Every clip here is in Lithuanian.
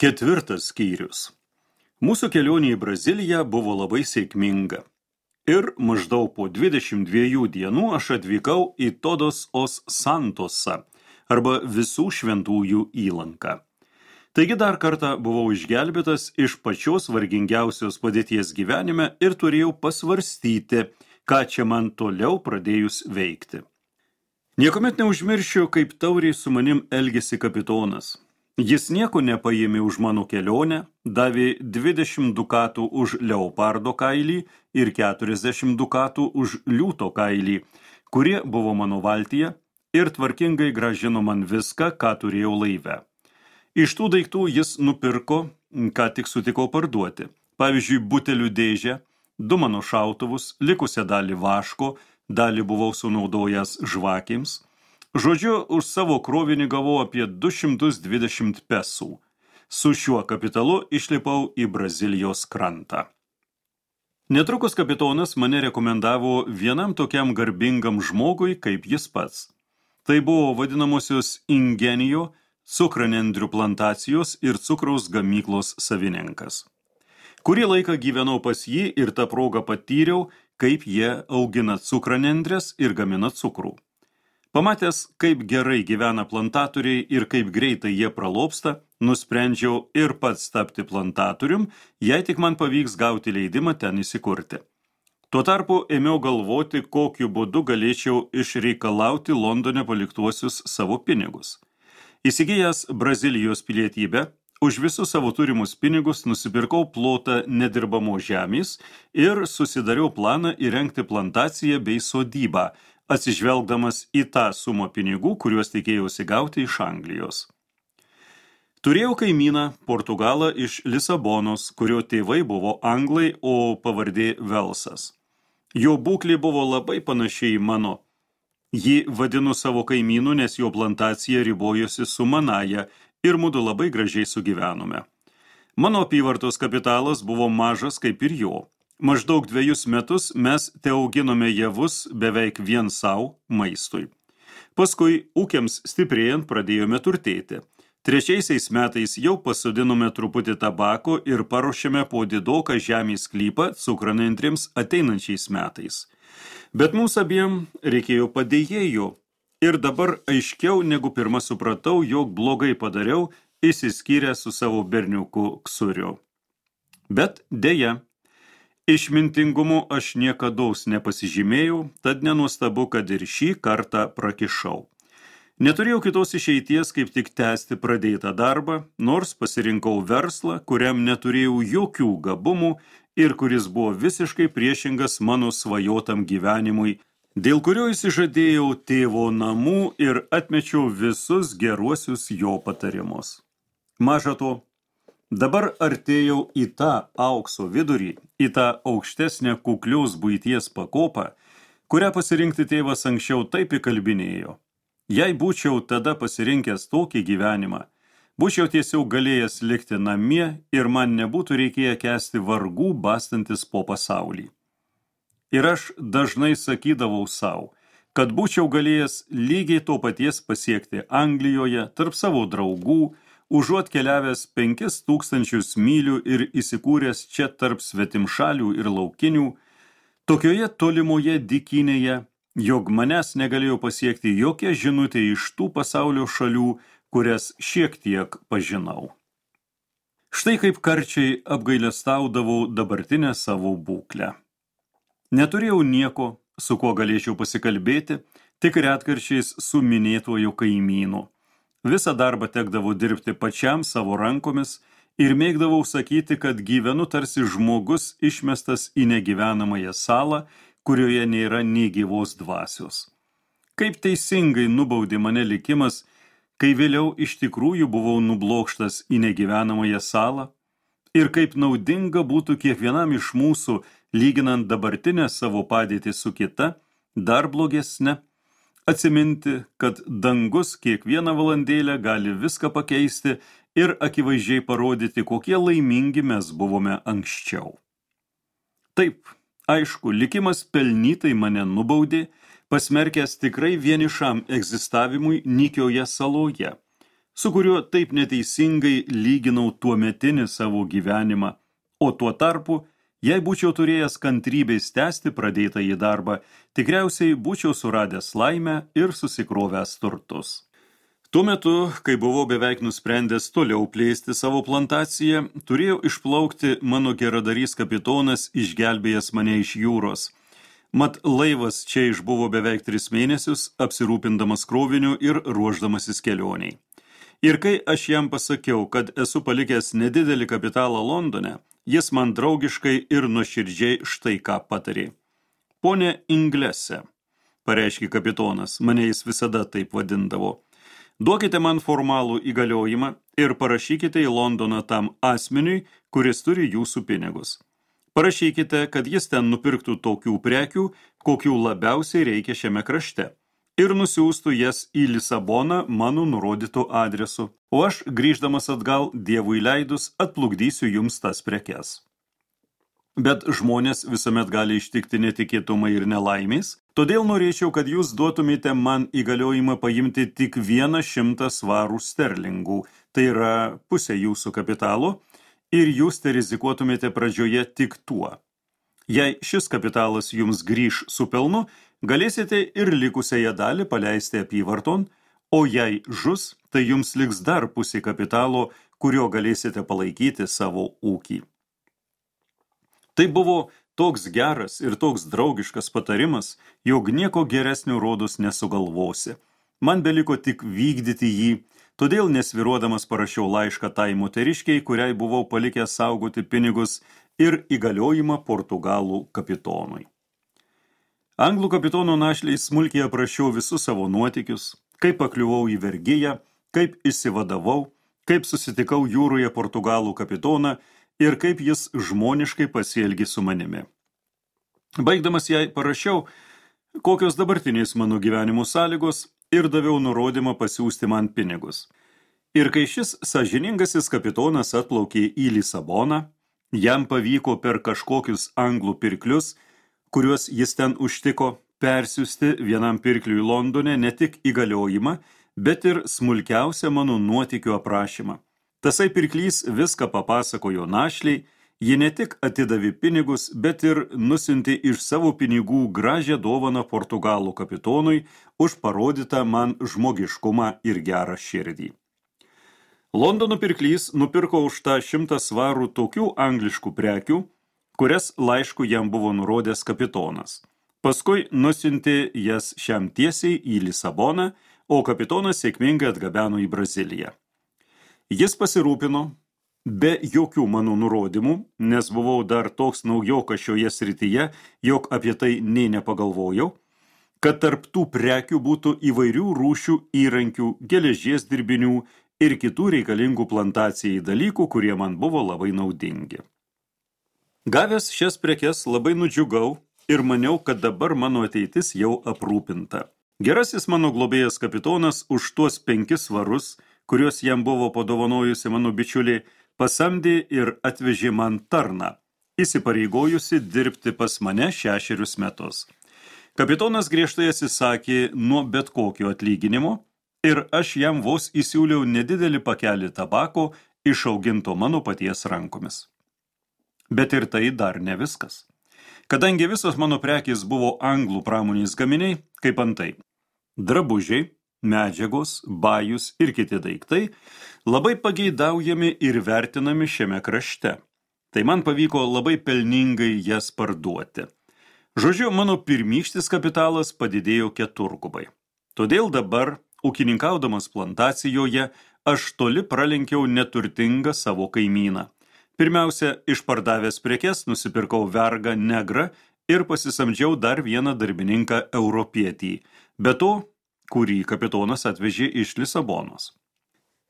4 skyrius. Mūsų kelionė į Braziliją buvo labai sėkminga. Ir maždaug po 22 dienų aš atvykau į Todos os Santosą, arba Visų šventųjų įlanką. Taigi dar kartą buvau išgelbėtas iš pačios vargingiausios padėties gyvenime ir turėjau pasvarstyti, ką čia man toliau pradėjus veikti. Niekuomet neužmiršiu, kaip tauriai su manim elgėsi kapitonas. Jis nieko nepaėmė už mano kelionę, davė 20 dukatų už leopardo kailį ir 40 dukatų už liūto kailį, kurie buvo mano valtyje, ir tvarkingai grąžino man viską, ką turėjau laive. Iš tų daiktų jis nupirko, ką tik sutikau parduoti. Pavyzdžiui, butelių dėžę, 2 mano šautuvus, likusią dalį vaško, dalį buvau sunaudojęs žvakėms. Žodžiu, už savo krovinį gavau apie 220 pesų. Su šiuo kapitalu išlipau į Brazilijos krantą. Netrukus kapitonas mane rekomendavo vienam tokiam garbingam žmogui, kaip jis pats. Tai buvo vadinamosios Ingenijo, cukranendrių plantacijos ir cukraus gamyklos savininkas. Kurį laiką gyvenau pas jį ir tą progą patyriau, kaip jie augina cukranendres ir gamina cukrų. Pamatęs, kaip gerai gyvena plantatoriai ir kaip greitai jie pralobsta, nusprendžiau ir pats tapti plantatorium, jei tik man pavyks gauti leidimą ten įsikurti. Tuo tarpu ėmiau galvoti, kokiu būdu galėčiau išreikalauti Londone paliktuosius savo pinigus. Įsigijęs Brazilijos pilietybę, už visus savo turimus pinigus nusipirkau plotą nedirbamo žemės ir susidariau planą įrengti plantaciją bei sodybą, atsižvelgdamas į tą sumą pinigų, kuriuos tikėjausi gauti iš Anglijos. Turėjau kaimyną, Portugalą iš Lisabonos, kurio tėvai buvo anglai, o pavardė Velsas. Jo būklė buvo labai panašiai į mano. Jį vadinu savo kaimynu, nes jo plantacija ribojosi su manaja ir mudu labai gražiai sugyvenome. Mano apyvartos kapitalas buvo mažas kaip ir jo. Maždaug 2 metus mes teauginome javus beveik vien savo maistui. Paskui, ūkiams stiprėjant, pradėjome turtėti. 3 metais jau pasodinome truputį tabako ir paruošėme po didoką žemės sklypą cukranendrėms ateinančiais metais. Bet mums abiem reikėjo padėjėjų ir dabar aiškiau negu pirma supratau, jog blogai padariau, išsiskyrę su savo berniuku Ksuriu. Bet deja, išmintingumu aš niekados nepasižymėjau, tad nenuostabu, kad ir šį kartą prakišau. Neturėjau kitos išeities, kaip tik tęsti pradėtą darbą, nors pasirinkau verslą, kuriam neturėjau jokių gabumų ir kuris buvo visiškai priešingas mano svajotam gyvenimui, dėl kurio įsižadėjau tėvo namų ir atmečiau visus geruosius jo patarimus. Maža to, dabar artėjau į tą aukso vidurį, į tą aukštesnę kuklios buities pakopą, kurią pasirinkti tėvas anksčiau taip įkalbinėjo. Jei būčiau tada pasirinkęs tokį gyvenimą, būčiau tiesiog galėjęs likti namie ir man nebūtų reikėję kęsti vargų bastantis po pasaulį. Ir aš dažnai sakydavau savo, kad būčiau galėjęs lygiai to paties pasiekti Anglijoje tarp savo draugų, užuot keliavęs 5000 mylių ir įsikūręs čia tarp svetimšalių ir laukinių, tokioje tolimoje dykynėje, jog manęs negalėjo pasiekti jokia žinutė iš tų pasaulio šalių, kurias šiek tiek pažinau. Štai kaip karčiai apgailestaudavau dabartinę savo būklę. Neturėjau nieko, su kuo galėčiau pasikalbėti, tik retkarčiais su minėtuoju kaimynu. Visą darbą tekdavo dirbti pačiam savo rankomis ir mėgdavau sakyti, kad gyvenu tarsi žmogus išmestas į negyvenamąją salą, kurioje nėra nė gyvos dvasios. Kaip teisingai nubaudė mane likimas, kai vėliau iš tikrųjų buvau nublokštas į negyvenamąją salą, ir kaip naudinga būtų kiekvienam iš mūsų, lyginant dabartinę savo padėtį su kita, dar blogesne, atsiminti, kad dangus kiekvieną valandėlę gali viską pakeisti ir akivaizdžiai parodyti, kokie laimingi mes buvome anksčiau. Taip, aišku, likimas pelnytai mane nubaudė, pasmerkęs tikrai vienišam egzistavimui nykioje saloje. su kuriuo taip neteisingai lyginau tuometinį savo gyvenimą, o tuo tarpu, jei būčiau turėjęs kantrybės tęsti pradėtą į darbą, tikriausiai būčiau suradęs laimę ir susikrovęs turtus. Tuo metu, kai buvau beveik nusprendęs toliau plėsti savo plantaciją, turėjau išplaukti mano geradarys kapitonas, išgelbėjęs mane iš jūros. Mat laivas čia išbuvo beveik 3 mėnesius, apsirūpindamas kroviniu ir ruošdamasis kelioniai. Ir kai aš jam pasakiau, kad esu palikęs nedidelį kapitalą Londone, jis man draugiškai ir nuoširdžiai štai ką patarė. Pone Inglese, pareiškė kapitonas, mane jis visada taip vadindavo. Duokite man formalų įgaliojimą ir parašykite į Londoną tam asmeniui, kuris turi jūsų pinigus. Parašykite, kad jis ten nupirktų tokių prekių, kokių labiausiai reikia šiame krašte, ir nusiųstų jas į Lisaboną mano nurodytų adresu, o aš, grįždamas atgal, Dievui leidus, atplukdysiu jums tas prekes. Bet žmonės visuomet gali ištikti netikėtumai ir nelaimės, todėl norėčiau, kad jūs duotumėte man įgaliojimą paimti tik 100 svarų sterlingų, tai yra pusė jūsų kapitalo, ir jūs te rizikuotumėte pradžioje tik tuo. Jei šis kapitalas jums grįš su pelnu, galėsite ir likusiąją dalį paleisti apyvarton, o jei žus, tai jums liks dar pusė kapitalo, kurio galėsite palaikyti savo ūkį. Tai buvo toks geras ir toks draugiškas patarimas, jog nieko geresnio rodos nesugalvosi. Man beliko tik vykdyti jį, todėl nesviruodamas parašiau laišką tai moteriškiai, kuriai buvau palikęs saugoti pinigus ir įgaliojimą Portugalų kapitonui. Anglų kapitono našliai smulkiai aprašiau visus savo nuotykius, kaip pakliuvau į vergiją, kaip išsivadavau, kaip susitikau jūroje Portugalų kapitoną ir kaip jis žmoniškai pasielgė su manimi. Baigdamas jai parašiau, kokios dabartinės mano gyvenimo sąlygos ir daviau nurodymą pasiųsti man pinigus. Ir kai šis sąžiningasis kapitonas atplaukė į Lisaboną, jam pavyko per kažkokius anglų pirklius, kuriuos jis ten užtiko, persiųsti vienam pirkliui Londone ne tik įgaliojimą, bet ir smulkiausią mano nuotykių aprašymą. Tasai pirklys viską papasakojo našliai, ji ne tik atidavė pinigus, bet ir nusiuntė iš savo pinigų gražią dovaną Portugalų kapitonui už parodytą man žmogiškumą ir gerą širdį. Londono pirklys nupirko už tą 100 svarų tokių angliškų prekių, kurias laišku jam buvo nurodęs kapitonas. Paskui nusiuntė jas šiam tiesiai į Lisaboną, o kapitonas sėkmingai atgabeno į Braziliją. Jis pasirūpino, be jokių mano nurodymų, nes buvau dar toks naujokas šioje srityje, jog apie tai nė nepagalvojau, kad tarp tų prekių būtų įvairių rūšių įrankių, geležies dirbinių ir kitų reikalingų plantacijai dalykų, kurie man buvo labai naudingi. Gavęs šias prekes labai nudžiugau ir maniau, kad dabar mano ateitis jau aprūpinta. Gerasis mano globėjas kapitonas už tuos 5 svarus, kuriuos jam buvo padovanojusi mano bičiulė, pasamdė ir atvežė man tarną, įsipareigojusi dirbti pas mane 6 metus. Kapitonas griežtai atsisakė nuo bet kokio atlyginimo ir aš jam vos įsiūliau nedidelį pakelį tabako išauginto mano paties rankomis. Bet ir tai dar ne viskas. Kadangi visos mano prekės buvo anglų pramonės gaminiai, kaip antai drabužiai, medžiagos, bajus ir kiti daiktai, labai pageidaujami ir vertinami šiame krašte. Tai man pavyko labai pelningai jas parduoti. Žodžiu, mano pirmykštis kapitalas padidėjo 4-gubai. Todėl dabar, ūkininkaudamas plantacijoje, aš toli pralenkiau neturtingą savo kaimyną. Pirmiausia, išpardavęs prekes, nusipirkau vergą negrą ir pasisamdžiau dar vieną darbininką europietį, be to, kurį kapitonas atvežė iš Lisabonos.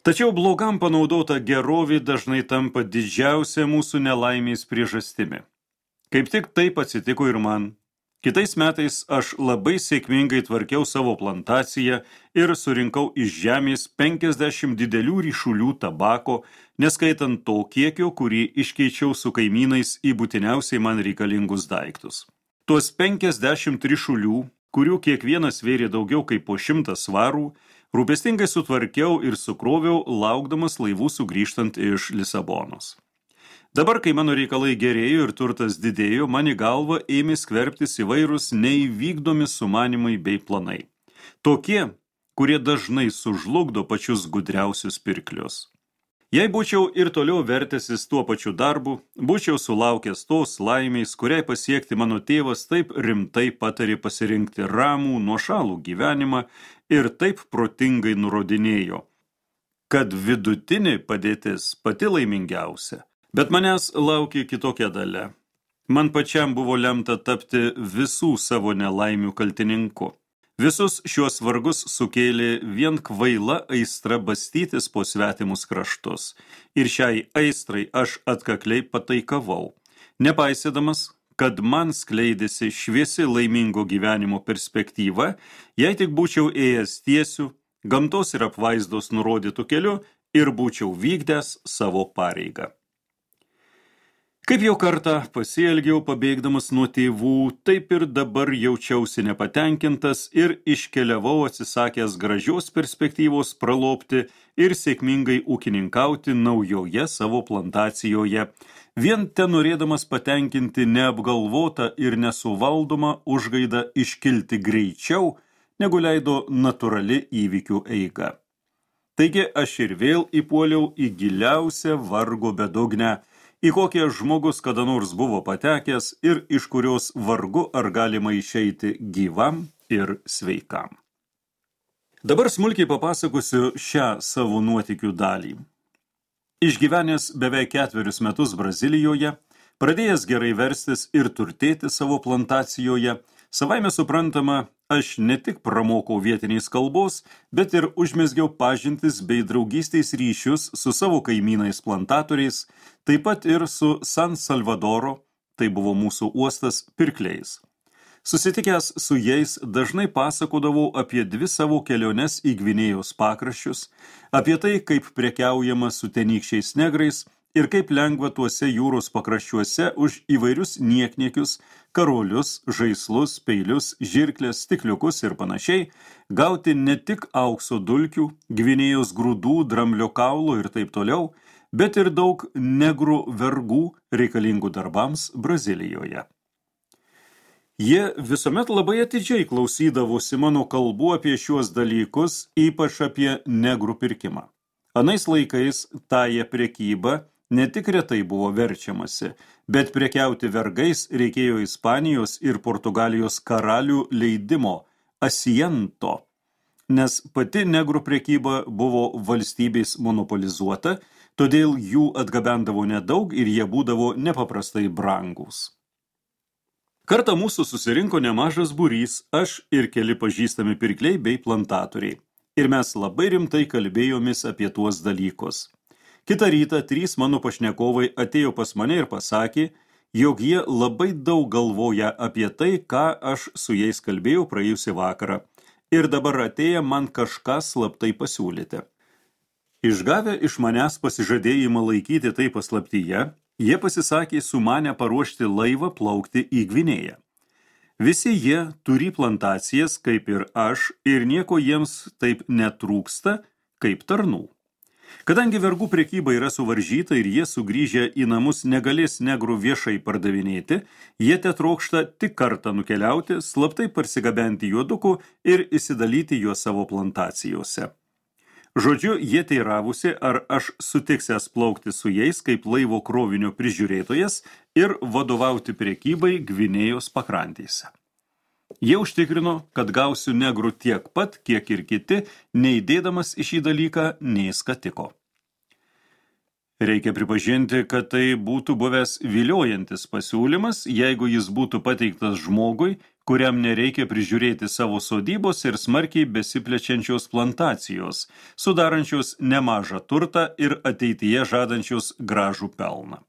Tačiau blogam panaudota gerovė dažnai tampa didžiausia mūsų nelaimės priežastimi. Kaip tik taip atsitiko ir man. Kitais metais aš labai sėkmingai tvarkiau savo plantaciją ir surinkau iš žemės 50 didelių ryšulių tabako, neskaitant to kiekio, kurį iškeičiau su kaimynais į būtiniausiai man reikalingus daiktus. Tuos 50 ryšulių, kurių kiekvienas vėrė daugiau kaip po 100 svarų, Rūpestingai sutvarkiau ir sukroviau, laukdamas laivų sugrįžtant iš Lisabonos. Dabar, kai mano reikalai gerėjo ir turtas didėjo, man į galvą ėmė skverbtis įvairūs neįvykdomi sumanimai bei planai. Tokie, kurie dažnai sužlugdo pačius gudriausius pirklius. Jei būčiau ir toliau vertęsis tuo pačiu darbu, būčiau sulaukęs tos laimės, kuriai pasiekti mano tėvas taip rimtai patarė pasirinkti ramų, nuošalų gyvenimą ir taip protingai nurodinėjo, kad vidutinė padėtis pati laimingiausia. Bet manęs laukė kitokia dalia. Man pačiam buvo lemta tapti visų savo nelaimių kaltininku. Visus šiuos vargus sukėlė vien kvaila aistra bastytis po svetimus kraštus. Ir šiai aistrai aš atkakliai pataikavau, nepaisydamas, kad man skleidėsi šviesi laimingo gyvenimo perspektyva, jei tik būčiau ėjęs tiesiu, gamtos ir apvaizdos nurodytų keliu ir būčiau vykdęs savo pareigą. Kaip jau kartą pasielgiau pabėgdamas nuo tėvų, taip ir dabar jaučiausi nepatenkintas ir iškeliavau atsisakęs gražios perspektyvos pralopti ir sėkmingai ūkininkauti naujoje savo plantacijoje, vien ten norėdamas patenkinti neapgalvotą ir nesuvaldomą užgaidą iškilti greičiau, negu leido natūrali įvykių eiga. Taigi aš ir vėl įpuoliau į giliausią vargo bedugnę, į kokią žmogus kada nors buvo patekęs ir iš kurios vargu ar galima išeiti gyvam ir sveikam. Dabar smulkiai papasakosiu šią savo nuotykių dalį. Išgyvenęs beveik 4 metus Brazilijoje, pradėjęs gerai verstis ir turtėti savo plantacijoje, savaime suprantama, aš ne tik pramokau vietiniais kalbos, bet ir užmezgiau pažintis bei draugystės ryšius su savo kaimynais plantatoriais, taip pat ir su San Salvadoro, tai buvo mūsų uostas, pirkliais. Susitikęs su jais dažnai pasakodavau apie 2 savo keliones į Gvinėjos pakraščius, apie tai, kaip prekiaujama su tenykščiais negrais ir kaip lengva tuose jūros pakraščiuose už įvairius niekniekius, karolius, žaislus, peilius, žirklės, stikliukus ir panašiai gauti ne tik aukso dulkių, Gvinėjos grūdų, dramblio kaulo ir taip toliau, bet ir daug negrų vergų reikalingų darbams Brazilijoje. Jie visuomet labai atidžiai klausydavosi mano kalbų apie šiuos dalykus, ypač apie negrų pirkimą. Anais laikais tąją prekybą ne tik retai buvo verčiamasi, bet prekiauti vergais reikėjo Ispanijos ir Portugalijos karalių leidimo asiento, nes pati negrų prekyba buvo valstybės monopolizuota, todėl jų atgabendavo nedaug ir jie būdavo nepaprastai brangūs. Kartą mūsų susirinko nemažas būrys, aš ir keli pažįstami pirkliai bei plantatoriai. Ir mes labai rimtai kalbėjomis apie tuos dalykus. Kitą rytą 3 mano pašnekovai atėjo pas mane ir pasakė, jog jie labai daug galvoja apie tai, ką aš su jais kalbėjau praėjusį vakarą. Ir dabar atėję man kažką slaptai pasiūlyti. Išgavę iš manęs pasižadėjimą laikyti tai paslaptyje, jie pasisakė sumanę paruošti laivą plaukti į Gvinėją. Visi jie turi plantacijas, kaip ir aš, ir nieko jiems taip netrūksta, kaip tarnų. Kadangi vergų prekyba yra suvaržyta ir jie sugrįžę į namus negalės negrų viešai pardavinėti, jie tetrokšta tik kartą nukeliauti, slaptai parsigabenti juodukų ir įsidalyti juos savo plantacijose. Žodžiu, jie teiravusi, ar aš sutiksęs plaukti su jais kaip laivo krovinio prižiūrėtojas ir vadovauti prekybai Gvinėjos pakrantėse. Jie užtikrino, kad gausiu negrų tiek pat, kiek ir kiti, neįdėdamas į šį dalyką nei skatiko. Reikia pripažinti, kad tai būtų buvęs viliojantis pasiūlymas, jeigu jis būtų pateiktas žmogui, kuriam nereikia prižiūrėti savo sodybos ir smarkiai besiplečiančios plantacijos, sudarančios nemažą turtą ir ateityje žadančios gražų pelną.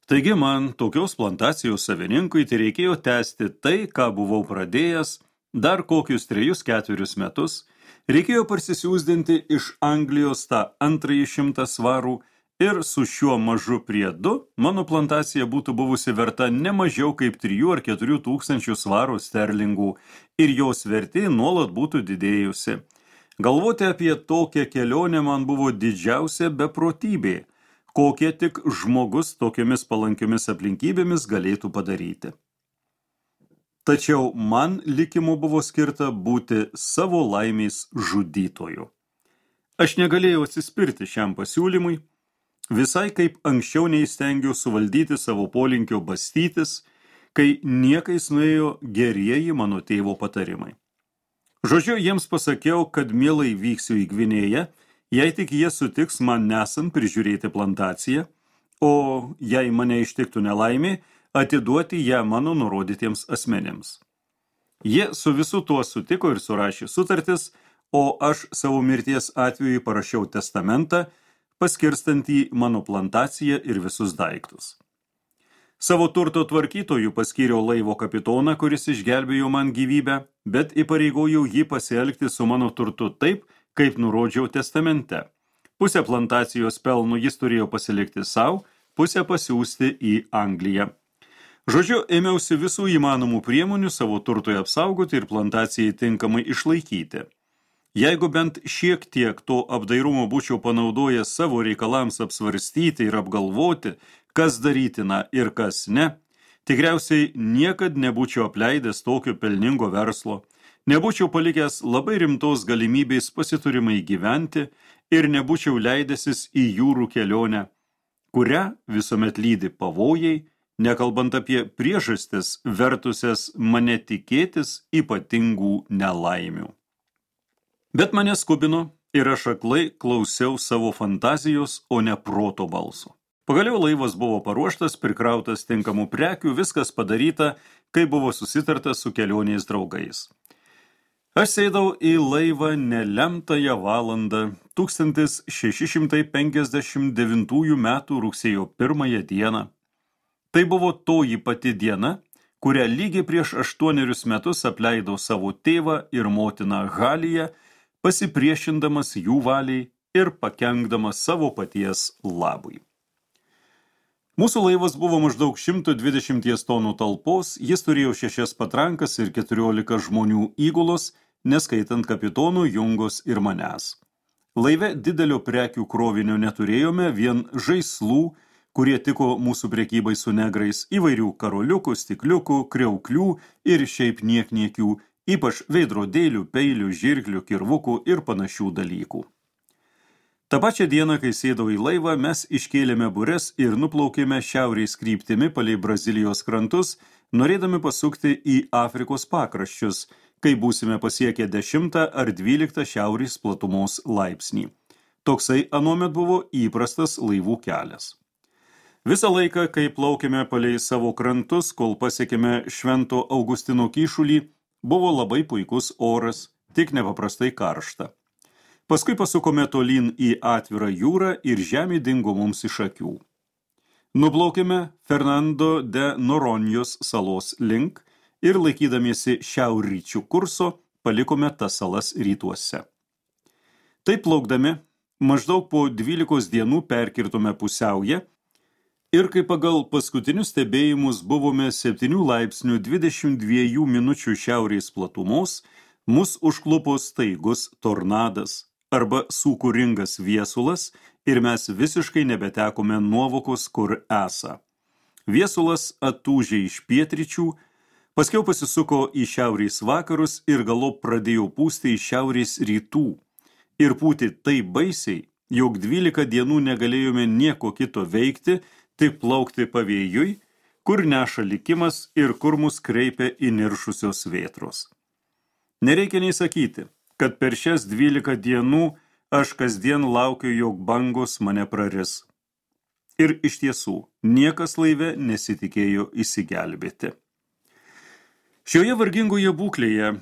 Taigi man, tokios plantacijos savininkui, tai reikėjo tęsti tai, ką buvau pradėjęs, dar kokius 3-4 metus, reikėjo parsisiųsdinti iš Anglijos tą 200 svarų, ir su šiuo mažu priedu mano plantacija būtų buvusi verta ne mažiau kaip 3 ar 4 tūkstančių svarų sterlingų ir jos vertė nuolat būtų didėjusi. Galvoti apie tokią kelionę man buvo didžiausia beprotybė, kokie tik žmogus tokiomis palankiomis aplinkybėmis galėtų padaryti. Tačiau man likimu buvo skirta būti savo laimės žudytoju. Aš negalėjau atsispirti šiam pasiūlymui, visai kaip anksčiau neįstengiau suvaldyti savo polinkio bastytis, kai niekais nuėjo gerieji mano tėvo patarimai. Žodžiu, jiems pasakiau, kad mielai vyksiu į Gvinėją, jei tik jie sutiks man nesant prižiūrėti plantaciją, o jei mane ištiktų nelaimė, atiduoti ją mano nurodytiems asmenėms. Jie su visu tuo sutiko ir surašė sutartis, o aš savo mirties atveju parašiau testamentą, paskirstantį mano plantaciją ir visus daiktus. Savo turto tvarkytojų paskyriau laivo kapitoną, kuris išgelbėjo man gyvybę, bet įpareigojau jį pasielgti su mano turtu taip, kaip nurodžiau testamente. Pusę plantacijos pelnų jis turėjo pasilikti savo, pusę pasiųsti į Angliją. Žodžiu, ėmiausi visų įmanomų priemonių savo turtui apsaugoti ir plantacijai tinkamai išlaikyti. Jeigu bent šiek tiek to apdairumo būčiau panaudojęs savo reikalams apsvarstyti ir apgalvoti, kas darytina ir kas ne, tikriausiai niekad nebūčiau apleidęs tokio pelningo verslo, nebūčiau palikęs labai rimtos galimybės pasiturimai gyventi ir nebūčiau leidęsis į jūrų kelionę, kurią visuomet lydi pavojai, nekalbant apie priežastis vertusias mane tikėtis ypatingų nelaimių. Bet mane skubino ir aš aklai klausiau savo fantazijos, o ne proto balso. Pagaliau laivas buvo paruoštas, prikrautas tinkamų prekių, viskas padaryta, kai buvo susitarta su kelionės draugais. Aš sėdau į laivą nelemtąją valandą 1659 metų rugsėjo 1 dieną. Tai buvo toji pati diena, kurią lygiai prieš 8 metus apleidau savo tėvą ir motiną Haliją, pasipriešindamas jų valiai ir pakenkdamas savo paties labui. Mūsų laivas buvo maždaug 120 tonų talpos, jis turėjo 6 patrankas ir 14 žmonių įgulos, neskaitant kapitonų Jungos ir manęs. Laive didelio prekių krovinio neturėjome, vien žaislų, kurie tiko mūsų prekybai su negrais, įvairių karoliukų, stikliukų, kriauklių ir šiaip niekniekių, ypač veidrodėlių, peilių, žirklių, kirvukų ir panašių dalykų. Ta pačią dieną, kai sėdau į laivą, mes iškėlėme bures ir nuplaukėme šiaurės kryptimi palei Brazilijos krantus, norėdami pasukti į Afrikos pakraščius, kai būsime pasiekę 10 ar 12 šiaurės platumos laipsnį. Toksai anuomet buvo įprastas laivų kelias. Visą laiką, kai plaukėme palei savo krantus, kol pasiekėme Švento Augustino kyšulį, buvo labai puikus oras, tik nepaprastai karšta. Paskui pasukome tolyn į atvirą jūrą ir žemė dingo mums iš akių. Nuplaukėme Fernando de Noronjos salos link ir laikydamiesi šiaurryčių kurso palikome tas salas rytuose. Taip plaukdami, maždaug po 12 dienų perkirtome pusiaują ir kai pagal paskutinius stebėjimus buvome 7 laipsnių 22 minučių šiaurės platumos, mus užklupo staigus tornadas arba sūkuringas viesulas ir mes visiškai nebetekome nuovokos, kur esą. Viesulas atūžė iš pietryčių, paskiau pasisuko į šiaurės vakarus ir galop pradėjo pūsti į šiaurės rytų ir pūti taip baisiai, jog 12 dienų negalėjome nieko kito veikti, tik plaukti pavėjui, kur neša likimas ir kur mus kreipia įniršusios vėtros. Nereikia nei sakyti, kad per šias 12 dienų aš kasdien laukiu, jog bangos mane praris. Ir iš tiesų, niekas laive nesitikėjo išsigelbėti. Šioje vargingoje būklėje,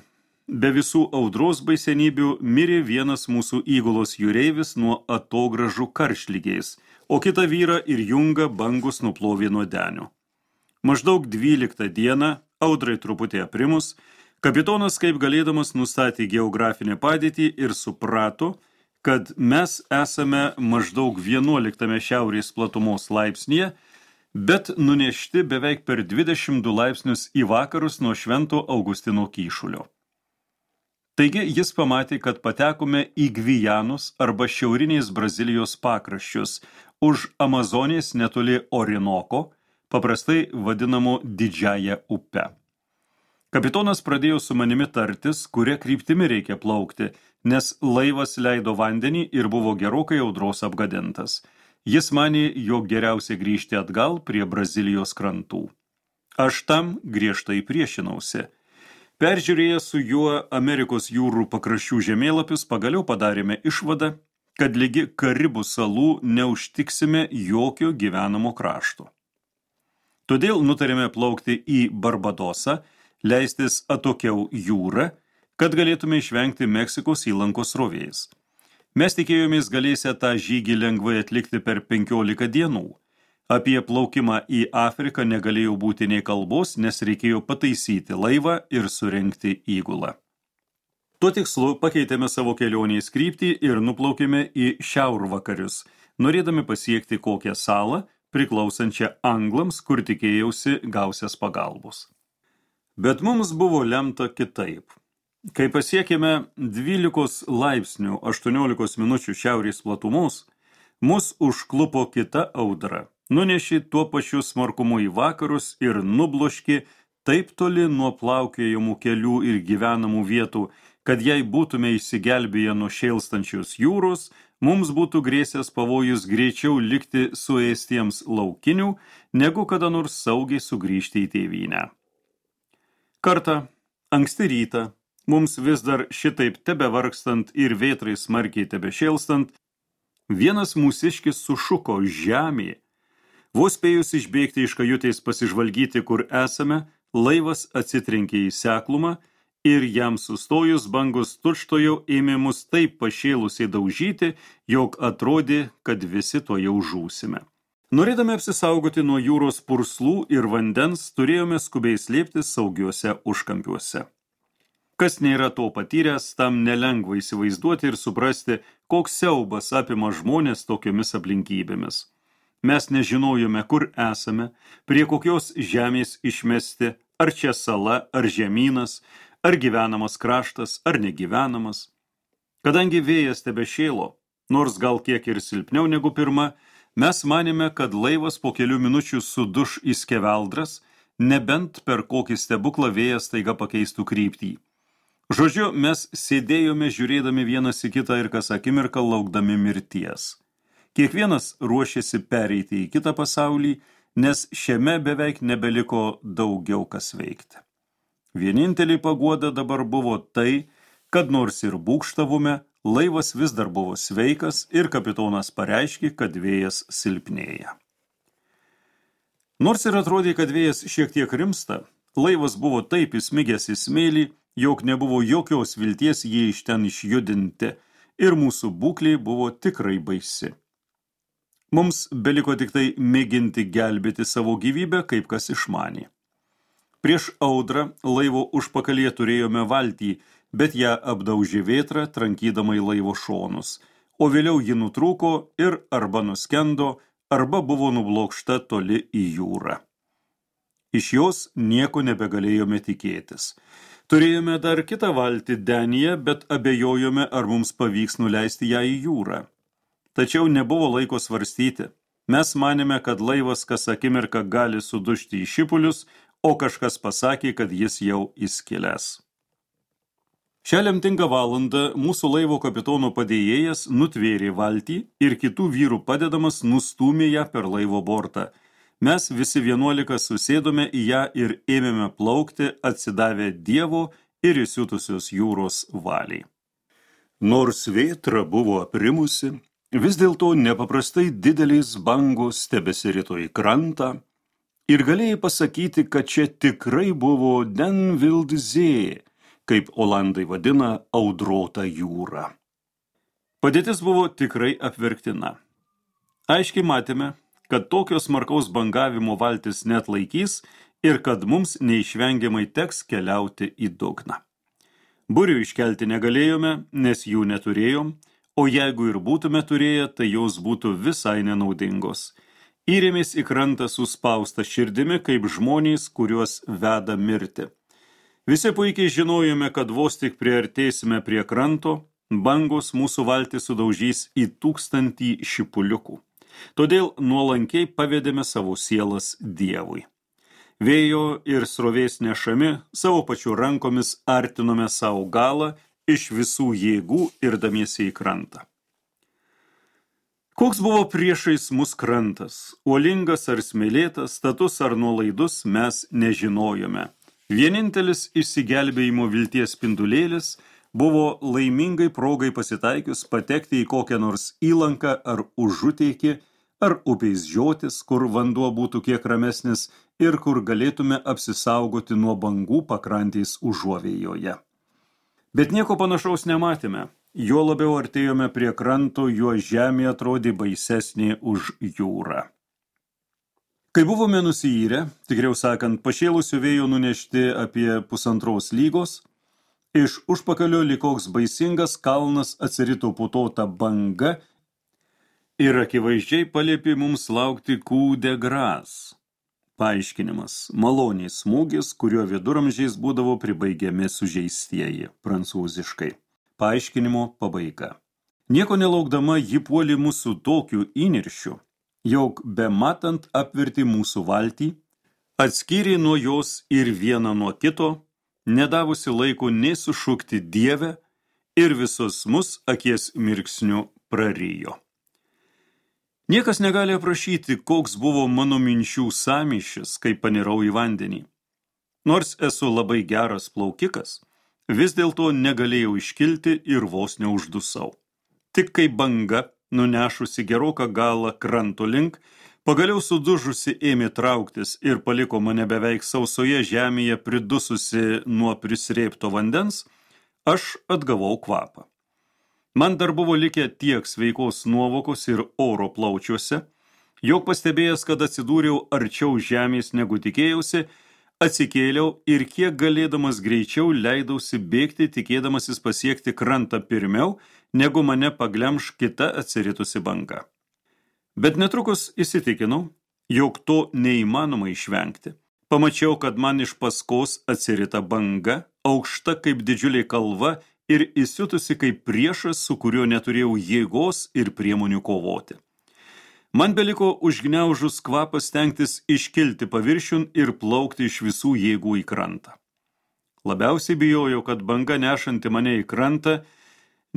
be visų audros baisenybių, mirė vienas mūsų įgulos jūreivis nuo atogražų karštligės, o kitą vyrą ir Jungą bangus nuplovė nuo denio. Maždaug 12 dieną, audrai truputį aprimus, kapitonas kaip galėdamas nustatė geografinę padėtį ir suprato, kad mes esame maždaug 11 šiaurės platumos laipsnyje, bet nunešti beveik per 22 laipsnius į vakarus nuo Švento Augustino kyšulio. Taigi jis pamatė, kad patekome į Gvijanus arba šiaurinės Brazilijos pakraščius, už Amazonės netoli Orinoko, paprastai vadinamo Didžiąją upę. Kapitonas pradėjo su manimi tartis, kuria kryptimi reikia plaukti, nes laivas leido vandenį ir buvo gerokai audros apgadintas. Jis manė, jog geriausia grįžti atgal prie Brazilijos krantų. Aš tam griežtai priešinausi. Peržiūrėję su juo Amerikos jūrų pakraščių žemėlapius, pagaliau padarėme išvadą, kad ligi Karibų salų neužtiksime jokio gyvenamo krašto. Todėl nutarėme plaukti į Barbadosą, leistis atokiau jūrą, kad galėtume išvengti Meksikos įlankos srovės. Mes tikėjomės galėsę tą žygį lengvai atlikti per 15 dienų. Apie plaukimą į Afriką negalėjo būti nei kalbos, nes reikėjo pataisyti laivą ir surengti įgulą. Tuo tikslu pakeitėme savo kelionės kryptį ir nuplaukėme į šiaurvakarius, norėdami pasiekti kokią salą, priklausančią anglams, kur tikėjausi gausias pagalbos. Bet mums buvo lemta kitaip. Kai pasiekėme 12 laipsnių 18 minučių šiaurės platumos, mus užklupo kita audra, nunešė tuo pačiu smarkumu į vakarus ir nubloškė taip toli nuo plaukiojamų kelių ir gyvenamų vietų, kad jei būtume išsigelbėję nuo šėlstančios jūros, mums būtų grėsęs pavojus greičiau likti suėstiems laukinių, negu kada nors saugiai sugrįžti į tėvynę. Kartą, anksti rytą, mums vis dar šitaip tebevargstant ir vėtrai smarkiai tebešėlstant, vienas mūsiškis sušuko žemė. Vos spėjus išbėgti iš kajutės pasižvalgyti, kur esame, laivas atsitrenkė į seklumą ir jam sustojus bangos tučtojau ėmė mus taip pašėlusiai daužyti, jog atrodė, kad visi to jau žūsime. Norėdami apsisaugoti nuo jūros purslų ir vandens, turėjome skubiai slėptis saugiuose užkampiuose. Kas nėra to patyręs, tam nelengva įsivaizduoti ir suprasti, koks siaubas apima žmonės tokiomis aplinkybėmis. Mes nežinojome, kur esame, prie kokios žemės išmesti, ar čia sala, ar žemynas, ar gyvenamas kraštas, ar negyvenamas. Kadangi vėjas tebešėlo, nors gal kiek ir silpniau negu pirma, mes manėme, kad laivas po kelių minučių suduš į skeveldras, nebent per kokį stebuklą vėjas staiga pakeistų kryptį. Žodžiu, mes sėdėjome žiūrėdami vienas į kitą ir kas akimirką laukdami mirties. Kiekvienas ruošėsi pereiti į kitą pasaulį, nes šiame beveik nebeliko daugiau kas veikti. Vienintelė paguoda dabar buvo tai, kad nors ir būgštavome, laivas vis dar buvo sveikas ir kapitonas pareiškė, kad vėjas silpnėja. Nors ir atrodė, kad vėjas šiek tiek rimsta, laivas buvo taip įsmigęs į smėlį, jog nebuvo jokios vilties jį iš ten išjudinti ir mūsų būklė buvo tikrai baisi. Mums beliko tik tai mėginti gelbėti savo gyvybę, kaip kas išmanė. Prieš audrą laivo užpakalyje turėjome valtį, bet ją apdaužė vėtra, trankydama į laivo šonus, o vėliau ji nutrūko ir arba nuskendo, arba buvo nublokšta toli į jūrą. Iš jos nieko nebegalėjome tikėtis. Turėjome dar kitą valtį Denyje, bet abejojome, ar mums pavyks nuleisti ją į jūrą. Tačiau nebuvo laiko svarstyti. Mes manėme, kad laivas kas akimirką gali sudužti į šipulius, o kažkas pasakė, kad jis jau įskilęs. Šią lemtingą valandą mūsų laivo kapitono padėjėjas nutvėrė valtį ir kitų vyrų padedamas nustūmė ją per laivo bortą. Mes visi 11 susėdome į ją ir ėmėme plaukti, atsidavę Dievo ir įsiutusios jūros valiai. Nors vėtra buvo aprimusi, vis dėlto nepaprastai didelės bangos tebesirito į krantą ir galėjai pasakyti, kad čia tikrai buvo den wild zee, kaip olandai vadina audrotą jūrą. Padėtis buvo tikrai apverktina. Aiškiai matėme, kad tokios smarkaus bangavimo valtis net laikys ir kad mums neišvengiamai teks keliauti į dugną. Burių iškelti negalėjome, nes jų neturėjom, o jeigu ir būtume turėję, tai jos būtų visai nenaudingos. Įrėmės į krantą suspausta širdimi, kaip žmonės, kuriuos veda mirti. Visi puikiai žinojome, kad vos tik priartėsime prie kranto, bangos mūsų valtį sudaužys į 1000 šipuliukų. Todėl nuolankiai pavedėme savo sielas Dievui. Vėjo ir srovės nešami, savo pačių rankomis artinome savo galą iš visų jėgų irdamiesi į krantą. Koks buvo priešais mus krantas, uolingas ar smėlėtas, status ar nuolaidus, mes nežinojome. Vienintelis išsigelbėjimo vilties spindulėlis buvo laimingai progai pasitaikius patekti į kokią nors įlanką ar užuteikį, ar upės žiotis, kur vanduo būtų kiek ramesnis ir kur galėtume apsisaugoti nuo bangų pakrantės užuovėjoje. Bet nieko panašaus nematėme. Juo labiau artėjome prie kranto, juo žemė atrodė baisesnė už jūrą. Kai buvome nusiyrę, tikriau sakant, pašėlusių vėjo nunešti apie 1,5 lygos, iš užpakalio likoks baisingas kalnas atsirito putota banga ir akivaizdžiai paliepė mums laukti coup de grâce. Paaiškinimas – maloniai smūgis, kuriuo viduramžiais būdavo pribaigiami sužeistieji, prancūziškai. Paaiškinimo pabaiga. Nieko nelaukdama ji puolė mūsų tokiu įniršiu, jog bematant apvertė mūsų valtį, atskyrė nuo jos ir vieną nuo kito, nedavusi laiko nei sušukti Dieve ir visus mus akies mirksniu prarijo. Niekas negali aprašyti, koks buvo mano minčių sąmyšis, kai panirau į vandenį. Nors esu labai geras plaukikas, vis dėlto negalėjau iškilti ir vos neuždusau. Tik kai banga, nunešusi geroką galą kranto link, pagaliau sudužusi ėmė trauktis ir paliko mane beveik sausoje žemėje pridususi nuo prisrėpto vandens, aš atgavau kvapą. Man dar buvo likę tiek sveikos nuovokos ir oro plaučiuose, jog pastebėjęs, kad atsidūriau arčiau žemės negu tikėjausi, atsikėliau ir kiek galėdamas greičiau leidausi bėgti, tikėdamasis pasiekti krantą pirmiau, negu mane paglemš kita atsiritusi banga. Bet netrukus įsitikinau, jog to neįmanoma išvengti. Pamačiau, kad man iš paskos atsirita banga, aukšta kaip didžiulė kalva ir įsiutusi kaip priešas, su kuriuo neturėjau jėgos ir priemonių kovoti. Man beliko užgniaužus kvapą stengtis iškilti paviršiun ir plaukti iš visų jėgų į krantą. Labiausiai bijojau, kad banga nešanti mane į krantą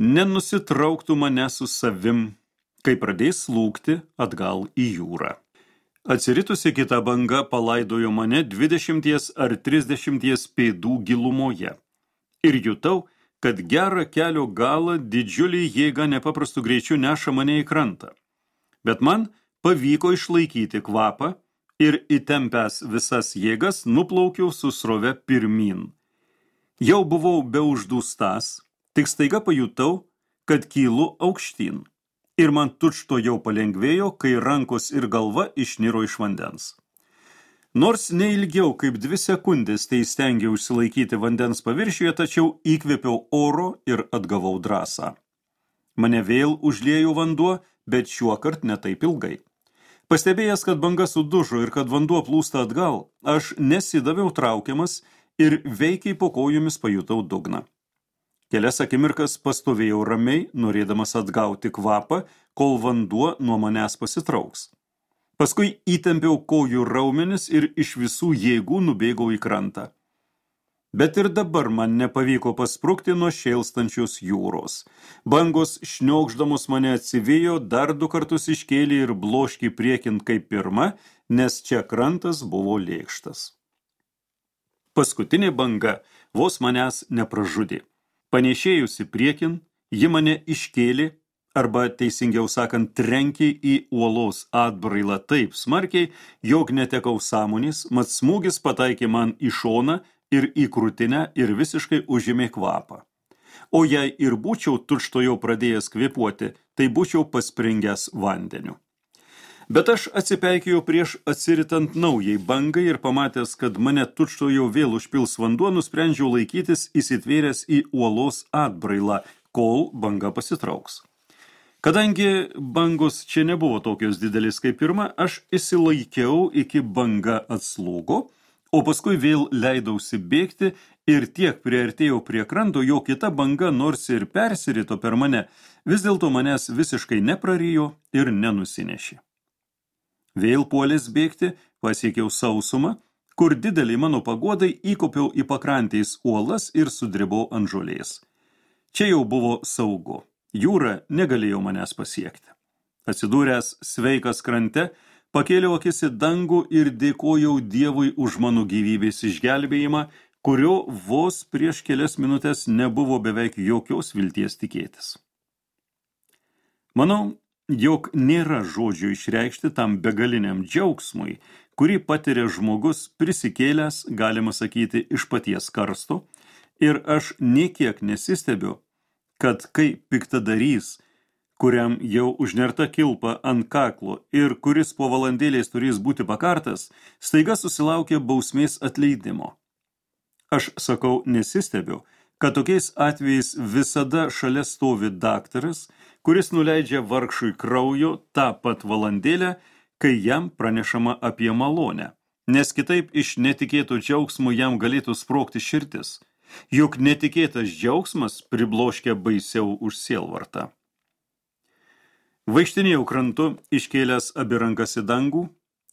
nenusitrauktų mane su savim, kai pradės slūgti atgal į jūrą. Atsiritusi kita banga palaidojo mane 20 ar 30 pėdų gilumoje ir jutau, kad gerą kelio galą didžiulį jėgą nepaprastu greičiu neša mane į krantą. Bet man pavyko išlaikyti kvapą ir įtempęs visas jėgas nuplaukiau su srove pirmyn. Jau buvau beuždūstas, tik staiga pajutau, kad kylu aukštyn. Ir man tučto jau palengvėjo, kai rankos ir galva išniro iš vandens. Nors neilgiau kaip 2 sekundės tai stengiau išsilaikyti vandens paviršiuje, tačiau įkvėpiau oro ir atgavau drąsą. Mane vėl užliejo vanduo, bet šiuokart ne taip ilgai. Pastebėjęs, kad banga sudužo ir kad vanduo plūsta atgal, aš nesidaviau traukiamas ir veikiai po kojomis pajutau dugną. Kelias akimirkas pastovėjau ramiai, norėdamas atgauti kvapą, kol vanduo nuo manęs pasitrauks. Paskui įtempiau kojų raumenis ir iš visų jėgų nubėgau į krantą. Bet ir dabar man nepavyko pasprukti nuo šėlstančios jūros. Bangos šniokšdamos mane atsivijo, dar 2 kartus iškėlė ir bloškį priekin kaip pirma, nes čia krantas buvo lėkštas. Paskutinė banga vos manęs nepražudė. Panešėjusi priekin, ji mane iškėlė, arba teisingiau sakant, trenkė į uolos atbrailą taip smarkiai, jog netekau sąmonės, mat smūgis pataikė man į šoną ir į krūtinę ir visiškai užėmė kvapą. O jei ir būčiau tučtojau pradėjęs kvėpuoti, tai būčiau paspringęs vandeniu. Bet aš atsipeikėjau prieš atsiritant naujai bangai ir pamatęs, kad mane tučtojau vėl užpils vanduo, nusprendžiau laikytis įsitvėręs į uolos atbrailą, kol banga pasitrauks. Kadangi bangos čia nebuvo tokios didelis kaip pirma, aš išsilaikiau iki banga atslūgo, o paskui vėl leidausi bėgti ir tiek priartėjau prie kranto, jo kita banga, nors ir persirito per mane, vis dėlto manęs visiškai neprarijo ir nenusinešė. Vėl puolęs bėgti, pasiekiau sausumą, kur didelį mano paguodai įkopiau į pakrantės uolas ir sudribau ant žolės. Čia jau buvo saugu, jūra negalėjo manęs pasiekti. Atsidūręs sveikas krante, pakėliau akis į dangų ir dėkojau Dievui už mano gyvybės išgelbėjimą, kurio vos prieš kelias minutės nebuvo beveik jokios vilties tikėtis. Manau, jog nėra žodžių išreikšti tam begaliniam džiaugsmui, kurį patiria žmogus prisikėlęs, galima sakyti, iš paties karsto, ir aš nė kiek nesistebiu, kad kai piktadarys, kuriam jau užnerta kilpa ant kaklo ir kuris po valandėlės turės būti pakartas, staiga susilaukė bausmės atleidimo. Aš sakau nesistebiu, kad tokiais atvejais visada šalia stovi daktaras, kuris nuleidžia vargšui kraujo tą pat valandėlę, kai jam pranešama apie malonę, nes kitaip iš netikėto džiaugsmo jam galėtų sprogti širdis, juk netikėtas džiaugsmas pribloškia baisiau už sielvartą. Vaikštinėjau krantu, iškėlęs abi rankas į dangų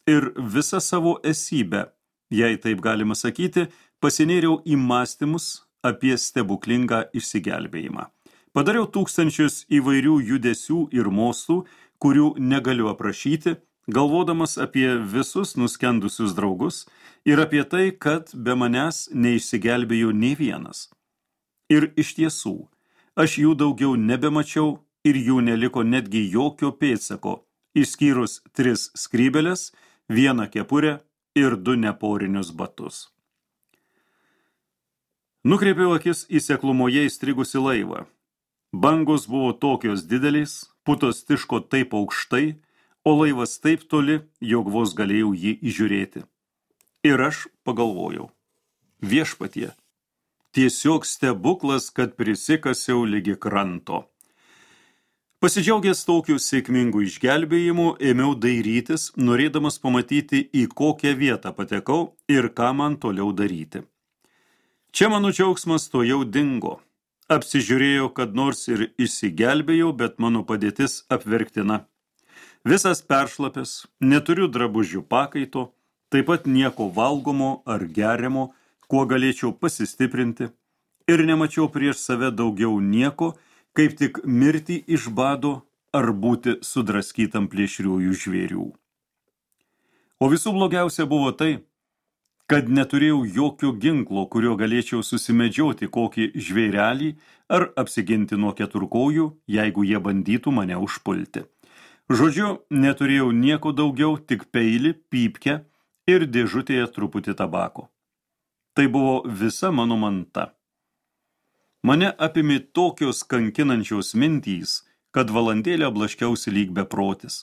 ir visą savo esybę, jei taip galima sakyti, pasinėriau į mąstymus apie stebuklingą išsigelbėjimą. Padariau tūkstančius įvairių judesių ir mostų, kurių negaliu aprašyti, galvodamas apie visus nuskendusius draugus ir apie tai, kad be manęs neišsigelbėjo nė vienas. Ir iš tiesų, aš jų daugiau nebemačiau ir jų neliko netgi jokio pėdsako, išskyrus 3 skrybėles, 1 kepurę ir 2 neporinius batus. Nukreipiau akis į seklumoje įstrigusi laivą. Bangos buvo tokios didelės, putos tiško taip aukštai, o laivas taip toli, jog vos galėjau jį įžiūrėti. Ir aš pagalvojau, viešpatie, tiesiog stebuklas, kad prisikasiau ligi kranto. Pasidžiaugęs tokiu sėkmingu išgelbėjimu, ėmiau dairytis, norėdamas pamatyti, į kokią vietą patekau ir ką man toliau daryti. Čia mano džiaugsmas to jau dingo. Apsižiūrėjau, kad nors ir išsigelbėjau, bet mano padėtis apverktina. Visas peršlapęs, neturiu drabužių pakaito, taip pat nieko valgomo ar geriamo, kuo galėčiau pasistiprinti, ir nemačiau prieš save daugiau nieko, kaip tik mirti iš bado ar būti sudraskytam plėšriųjų žvėrių. O visų blogiausia buvo tai, kad neturėjau jokio ginklo, kurio galėčiau susimedžioti kokį žvėrelį ar apsiginti nuo keturkojų, jeigu jie bandytų mane užpulti. Žodžiu, neturėjau nieko daugiau, tik peilį, pypkę ir dėžutėje truputį tabako. Tai buvo visa mano manta. Mane apimė tokios kankinančios mintys, kad valandėlę blaškiausi lyg beprotis.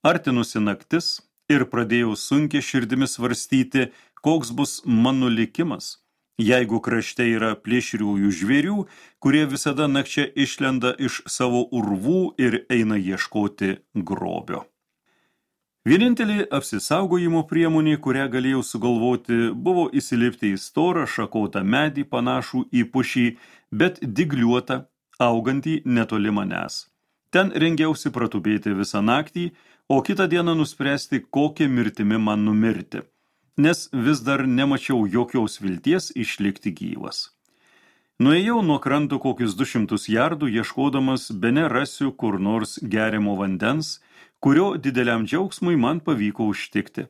Artinusi naktis ir pradėjau sunkiai širdimi svarstyti, koks bus mano likimas, jeigu krašte yra plėšriųjų žvėrių, kurie visada nakčia išlenda iš savo urvų ir eina ieškoti grobio. Vienintelė apsisaugojimo priemonė, kurią galėjau sugalvoti, buvo įsilipti į storą šakotą medį panašų į pušį, bet dygliuotą, augantį netoli manęs. Ten rengiausi pratupėti visą naktį, o kitą dieną nuspręsti, kokią mirtimi man numirti, nes vis dar nemačiau jokios vilties išlikti gyvas. Nuėjau nuo kranto kokius 200 jardų, ieškodamas bene rasiu kur nors geriamo vandens, kurio dideliam džiaugsmui man pavyko užtikti.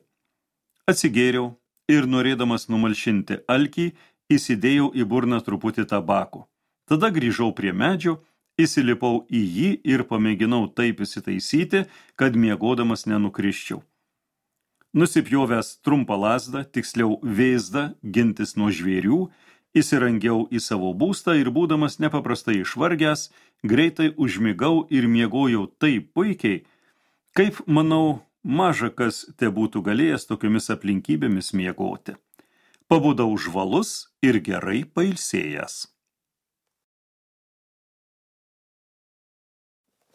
Atsigėriau ir norėdamas numalšinti alkį, įsidėjau į burną truputį tabako. Tada grįžau prie medžio, įsilipau į jį ir pamėginau taip įsitaisyti, kad miegodamas nenukrisčiau. Nusipjovęs trumpą lazdą, tiksliau vėzdą, gintis nuo žvėrių, įsirangiau į savo būstą ir būdamas nepaprastai išvargęs, greitai užmigau ir miegojau taip puikiai, kaip, manau, maža kas te būtų galėjęs tokiomis aplinkybėmis miegoti. Pabudau žvalus ir gerai pailsėjęs.